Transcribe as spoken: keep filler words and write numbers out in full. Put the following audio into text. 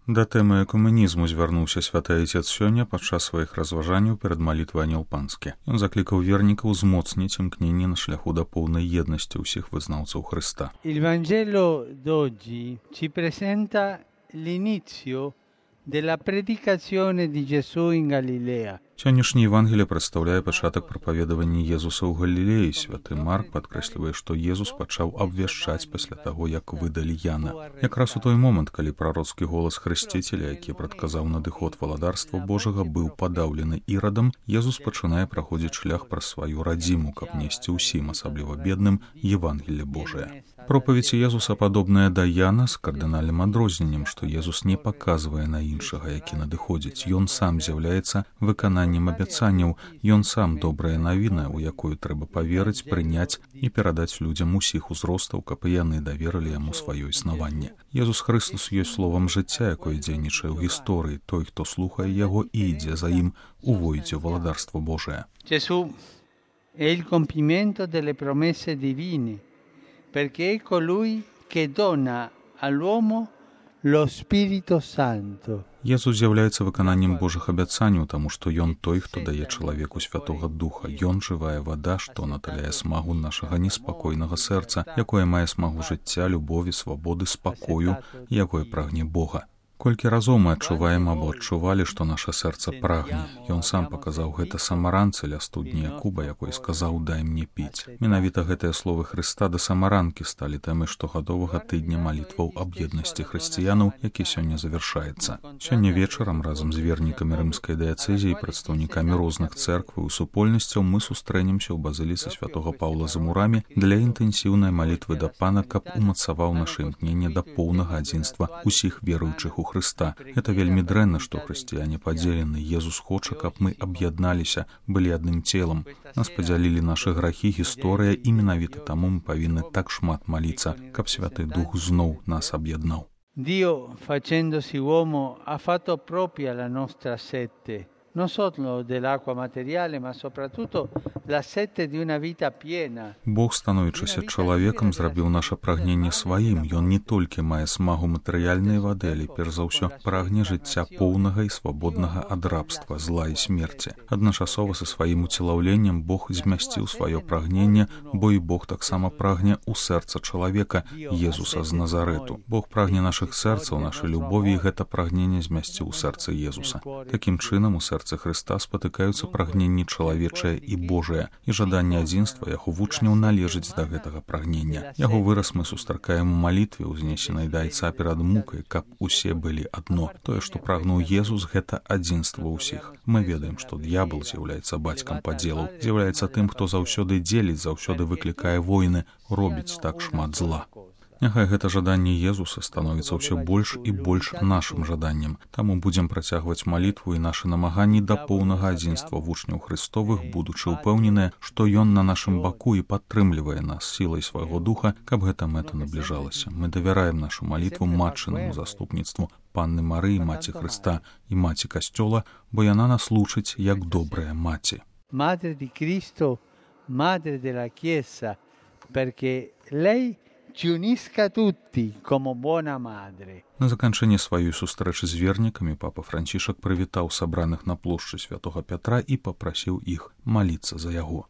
Да тэмы экуменізму звярнуўся святы айцец сёння падчас сваіх разважанняў перад малітвай Анёл Панскі. Ён заклікаў вернікаў узмоцніць імкненне на шляху да поўнай еднасці ўсіх вызнаўцаў Хрыста. Il Vangelo d'oggi ci presenta l'inizio della predicazione di Gesù in Galilea. Сённяшняе Евангелие прадстаўляе пачатак прапаведавання Езуса ў Галілеі. Святы Марк падкрэслівае, што Езус пачаў абвяшчаць пасля таго, як выдалі Яна. Якраз у той момант, калі прароцкі голас Хрысціцеля, які прадказаў надыход валадарства Божага, быў падаўлены Ірадам, Езус пачынае праходзіць шлях праз сваю радзіму, каб несці ўсім, асабліва бедным, Евангелле Божае. Пропаведь Езуса падобная да Яна з кардынальным адрозненнем, што Езус не паказвае на іншага, які надыходзіць. Ён сам з'яўляецца выкананнем абяцанняў, ён сам добрая навіна, у якую трэба паверыць, прыняць і перадаць людзям усіх узростаў, каб і яны даверылі яму сваё існаванне. Езус Хрыстус ёсць словам жыцця, якое дзейнічае ў гісторыі. Той, хто слухае яго і ідзе за ім, увойдзе ў валадарство Божае. Gesù è il compimento delle promesse divine, perché è colui che dona all'uomo lo Spirito Santo. Езус з'яўляецца выкананнем Божых абяцанняў, таму што ён той, хто дае чалавеку Святога Духа. Ён жывая вада, што наталяе смагу нашага неспакойнага сэрца, якое мае смагу жыцця, любові, свабоды, спакою, якое прагне Бога. Колькі разоў мы адчуваем або адчувалі, што наша сэрца прагне. Ён сам паказаў гэта самаранцы ля студні Якуба, якой сказаў: «Дай мне піць». Менавіта гэтыя словы Хрыста да самаранкі сталі тэмай штогадовага тыдня малітваў аб еднасці хрысціянаў, які сёння завяршаецца. Сёння вечарам разам з вернікамі рымскай дыяцэзіі і прадстаўнікамі розных цэркваў і супольнасцяў мы сустрэнемся ў базыліцы святога Паўла за мурамі для інтэнсіўнай малітвы да Пана, каб умацаваў наша імкненне да поўнага адзінства ўсіх веруючых у Хрыста. Это вельмі дрэнна, што хрысціяне падзелены. Езус хоча, каб мы аб'ядналіся, былі адным целам. Нас падзялілі нашы грахі, гісторыя, і менавіта таму мы павінны так шмат маліцца, каб Святы Дух зноў нас аб'яднаў. Dio, facendosi uomo, ha fatto propria la nostra sete, non solo dell'acqua materiale, ma soprattutto la sete di una vita piena. Бог, становячыся чалавекам, зрабіў наша прагненне сваім. Ён не толькі мае смагу матэрыяльнай вады, але перш за ўсё прагне жыцця поўнага і свабоднага ад рабства, зла і смерці. Адначасова са сваім уцелаўленнем Бог змясціў сваё прагненне, бо і Бог таксама прагне ў сэрца чалавека, Езуса з Назарэту. Бог прагне нашых сэрцаў, нашай любові, і гэта прагненне змясціў у сэрцы Езуса. Такім чынам у сэрцы Хрыста спатыкаюцца прагненні чалавечае і Божае, і жаданне адзінства яго вучняў належыць да гэтага прагнення. Яго выраз мы сустракаем у малітве, узнесенай да Айца перад мукай, каб усе былі адно. Тое, што прагнуў Езус, гэта адзінства ўсіх. Мы ведаем, што д'ябал з'яўляецца бацькам падзелаў, з'яўляецца тым, хто заўсёды дзеліць, заўсёды выклікае войны, робіць так шмат зла. Няхай гэта жаданне Езуса становіцца ўсё больш і больш нашым жаданнем. Таму будзем працягваць малітву і нашы намаганні да поўнага адзінства вучняў Хрыстовых, будучы ўпэўненыя, што Ён на нашым баку і падтрымлівае нас сілай свайго духа, каб гэта мэта набліжалася. Мы давяраем нашу малітву матчынаму заступніцтву Панны Марыі, маці Хрыста і маці Касцёла, бо яна нас лучыць як добрая маці. Madre di Cristo, madre della Chiesa, perché lei ci unisca tutti come buona madre. На заканчэнне сваёй сустрэчы з вернікамі папа Францішак прывітаў сабраных на плошчы святога Пятра і папрасіў іх маліцца за яго.